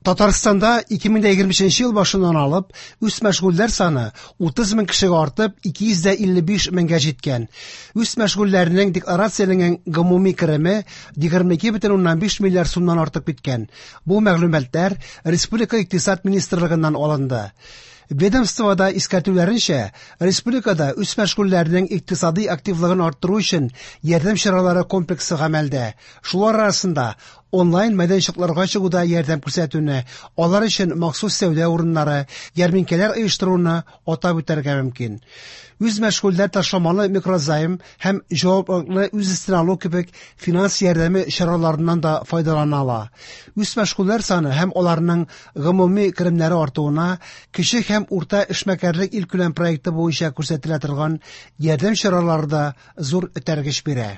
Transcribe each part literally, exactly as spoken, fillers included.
Татарстанда ике мең егерме өченче ел башыннан алып үзмәшгульләр саны утыз мең кешегә артып ике йөз илле биш меңгә җиткән. Үзмәшгульләрнең декларацияләнгән гомуми кереме егерме ике бөтен уннан биш миллиард сумнан артып киткән. Бу мәгълүматлар Республика Икътисад министрлыгыннан алынды. Ведомствода искәртүләренчә, республикада үзмәшгульләрнең икътисади активлыгын арттыру өчен ярдәм чаралары комплексы гамәлдә. Шулар арасында онлайн мәйданчыкларга чыгуда ярдәм күрсәтүне, алар өчен махсус сәүдә урыннары, ярминкәләр оештыруны атап үтәргә мөмкин. Үзмәшгульләр ташламалы микрозайм һәм җаваплылыкны үз өстенә алу кебек финанс ярдәме чараларыннан да файдалана ала. Үзмәшгульләр саны һәм аларның гомуми керемнәре артуына кече һәм урта эшмәкәрлек илкүләм проекты буенча күрсәтелә торган ярдәм чаралары да зур этәргеч бирә.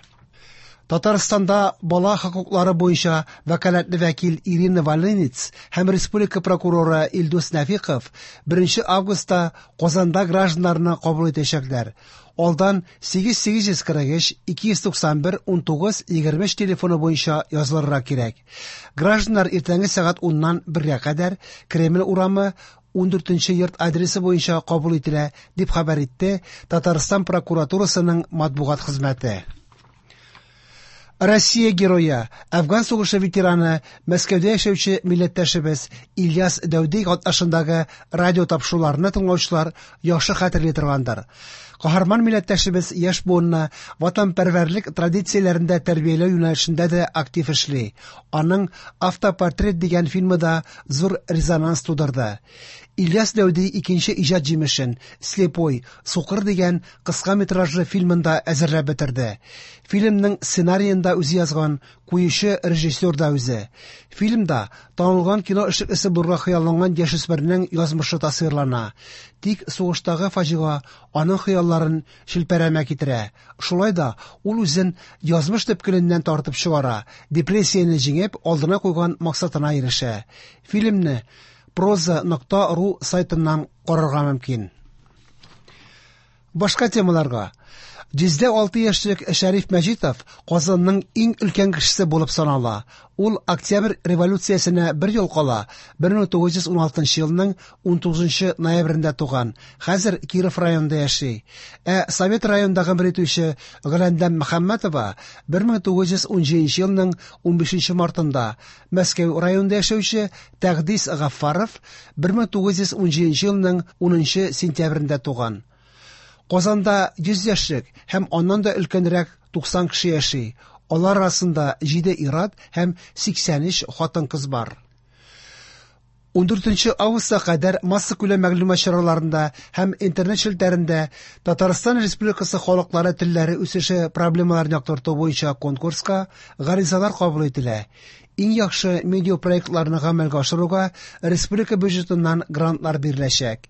Татарстанда бала хокуклары буенча вәкаләтле вәкил Ирина Волынец һәм республика прокуроры Илдус Нәфиков беренче августта Казанда гражданнарны кабул итәчәкләр. Алдан сигез сигез йөз кырык өч ике йөз туксан бер ун тугыз егерме өч телефоны буенча язылырга кирәк. Гражданнар иртәнге сәгать уннан бергә кадәр Кремль урамы ун дүртенче йорт адресы буенча кабул ителә, дип хәбәр итте Татарстан прокуратурасының матбугат хезмәте. Россия герое, Афган сугышы ветераны, Мәскәүдә яшәүче милләттәшебез Ильяс Дәүди катнашындагы радио тапшыруларны тыңлаучылар яхшы хәтерли торгандыр. Каһарман милләттәшебез яшь буынны ватанпәрвәрлек традицияләрендә тәрбияләү юнәлешендә дә актив эшли. Аның Автопортрет дигән фильмы да зур резонанс тудырды. Ильяс Дәүди икенче иҗат җимешен Слепой, Сукыр дигән кыска метражлы фильмын да әзерләп бетерде. Фильмның сценариен да үзе язган, куючы режиссер да үзе. Фильмда танылган кино эшлеклесе булырга хыялланган яшүсмернең язмышы тасвирлана. Тик сугыштагы фаҗига аның хыялларын шелпәрәмә китерә. Шулай да ул үзен язмыш төпкеленнән тартып чыгара, депрессияне җиңеп, алдына куйган максатына ирешә. Фильмны проза нокта ру сайтыннан карарга мөмкин. Башка темаларга. Йөздә алты яшьлек Шәриф Мәҗитов Казанның иң өлкән кешесе булып санала. Ул Октябрь революциясенә бер ел кала, бер мең тугыз йөз ун алтынчы елның ун тугызынчы ноябрендә туган. Хәзер Киров районында яши. Ә Совет районында гомер итүче Гөләндәм Мөхәммәтова бер мең тугыз йөз ун җиденче елның ун бишенче мартында, Мәскәү районында яшәүче Тәгъдис Гаффаров бер мең тугыз йөз ун җиденче елның унынчы сентябрендә туган. Казанда йөз яшьлек һәм аннан да өлкәнрәк туксан кеше яши. Алар арасында җиде ир-ат һәм сиксән өч хатын-кыз бар. Ун дүртенче августка кадәр массакүләм мәгълүмат чараларында һәм интернет челтәрендә Татарстан Республикасы халыклары телләре үсеше проблемаларын яктырту буенча конкурска гаризалар кабул ителә. Иң яхшы медиапроектларны гамәлгә ашыруга республика бюджетыннан грантлар биреләчәк.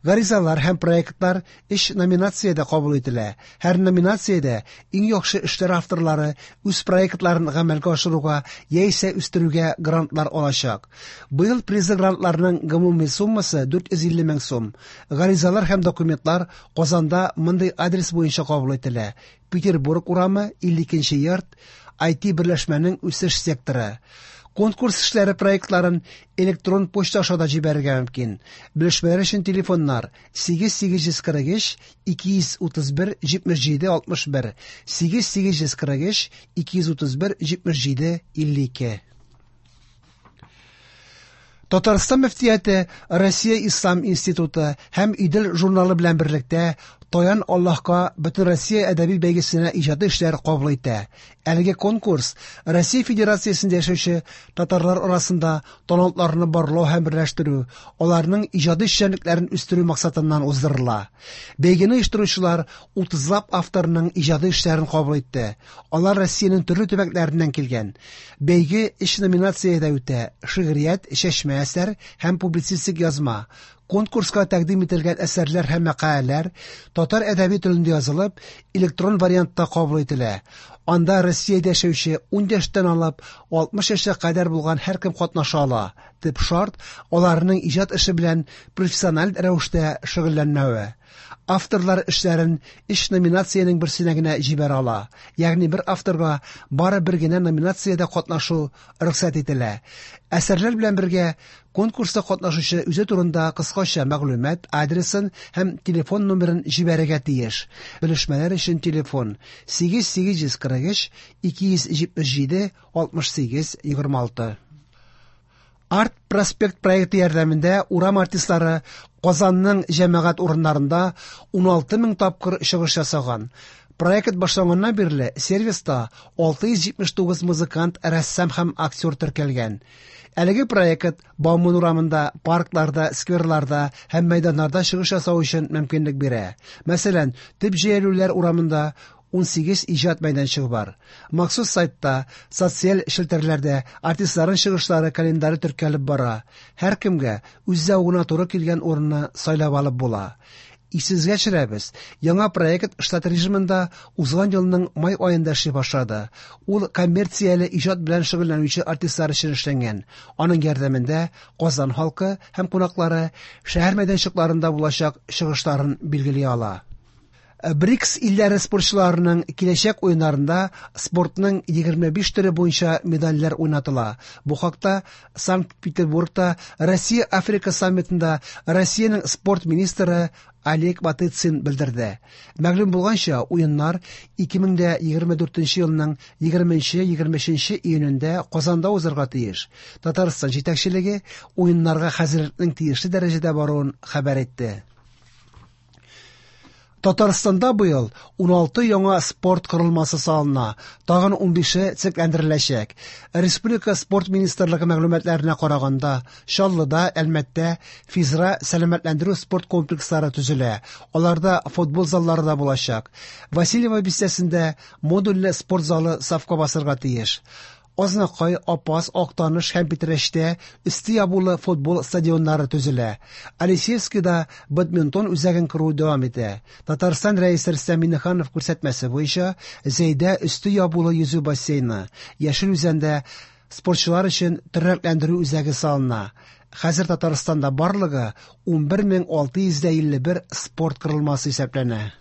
Гаризалар һәм проектлар өч номинациядә кабул ителә. Һәр номинациядә иң яхшы эшләр авторлары үз проектларын гамәлгә ашыруга яисә үстерүгә грантлар алачак. Быел призлы грантларның гомуми суммасы дүрт йөз илле мең сум. Гаризалар һәм документлар Казанда мондый адрес буенча кабул ителә: Петербург урамы, илле икенче йорт, ай ти берләшмәнең үсеш секторы. Конкурс эшләре проектларын электрон почта аша да җибәрергә мөмкин. Белешмәләр өчен телефоннар сигез сигез йөз кырык өч ике йөз утыз бер җитмеш җиде алтмыш бер, сигез сигез йөз кырык өч ике йөз утыз бер җитмеш җиде илле ике. Татарстан мөфтияте Россия Ислам институты һәм Идел журналы белән берлектә Таян Аллаһка Бөтен Россия әдәби бәйгесенә иҗади эшләр кабул итә. Әлеге конкурс Россия Федерациясендә яшәүче татарлар арасында талантларны барлау һәм берләштерү, аларның иҗади эшчәнлекләрен үстерү максатыннан уздырыла. Бәйгене оештыручылар утызлап авторның иҗади эшләрен кабул итте. Алар Россиянең төрле төбәкләреннән килгән. Бәйге өч номинациядә үтә: шигърият, чәчмә әсәр һәм публицистик язма. Конкурска тәкъдим ителгән әсәрләр һәм мәкаләләр татар әдәби телендә язылып, электрон вариантта кабул ителә. Анда Россиядә яшәүче ун яшьтән алып алтмыш яшькә кадәр булган һәркем катнаша ала. Төп шарт аларның иҗат эше белән профессиональ рәвештә шөгыльләнмәве. Авторлар эшләрен өч номинациянең берсенә генә җибәрә ала. Ягъни бер авторга бары бер генә номинациядә катнашу рөхсәт ителә. Әсәрләр белән бергә конкурста катнашучы үзе турында кыскача мәгълүмат, адресын һәм телефон номерын җибәрергә тиеш. Белешмәләр өчен телефон сигез сигез йөз кырык өч ике йөз җитмеш җиде алтмыш сигез егерме алты. Арт Проспект проекты ярдәмендә урам артистлары Казанның җәмәгать урыннарында уналты мең тапкыр чыгыш ясаган. Проект башланганнан бирле сервиста алты йөз җитмеш тугыз музыкант, рәссам һәм актер теркәлгән. Әлеге проект Бауман урамында, паркларда, скверларда һәм мәйданнарда чыгыш ясау өчен мөмкинлек бирә. Мәсәлән, төп җәелүләр урамында ун сигез иҗат мәйданчыгы бар. Махсус сайтта, социаль челтәрләрдә артистларның чыгышлары календаре теркәлеп бара. Һәркемгә үз зәвыгына туры килгән урынны сайлап алып була. Исегезгә төшерәбез, яңа проект штат режимында узган елның май аенда эшли башлады. Ул коммерцияле иҗат белән шөгыльләнүче артистлар өчен эшләнгән. Аның ярдәмендә Казан халкы һәм кунаклары шәһәр мәйданчыкларында булачак чыгышларын билгели ала. БРИКС илләре спортчыларының киләчәк уеннарында спортның егерме биш төре буенча медальләр уйнатыла. Бу хакта Санкт-Петербургта Россия-Африка саммитында Россиянең спорт министры Олег Матыцин белдерде. Мәгълүм булганча, уеннар ике мең дә егерме дүртенче елның егерменче, егерме өченче июнендә Казанда узарга тиеш. Татарстан җитәкчелеге уеннарга хәзерлекнең тиешле дәрәҗәдә баруын хәбәр итте. Татарстанда быел уналты яңа спорт корылмасы салына, тагын унбише төзекләндереләчәк. Республика спорт министрлыгы мәгълүматларына караганда, Чаллыда, Әлмәттә физра сәламәтләндерү спорт комплекслары төзелә. Аларда футбол заллары да булачак. Васильево бистәсендә модульле спорт залы сафка басырга тиеш. Азнакай, Апас, Актаныш һәм Питрәчтә өсте ябулы футбол стадионнары төзелә. Алексеевскида бадминтон үзәген кору дәвам итә. Татарстан рәисе Рөстәм Миңнеханов күрсәтмәсе буенча Зәйдә өсте ябулы йөзү бассейны, Яшел Үзәндә спортчылар өчен тернәкләндерү үзәге салына. Хәзер Татарстанда барлыгы унбер мең алты йөз илле бер спорт корылмасы исәпләнә.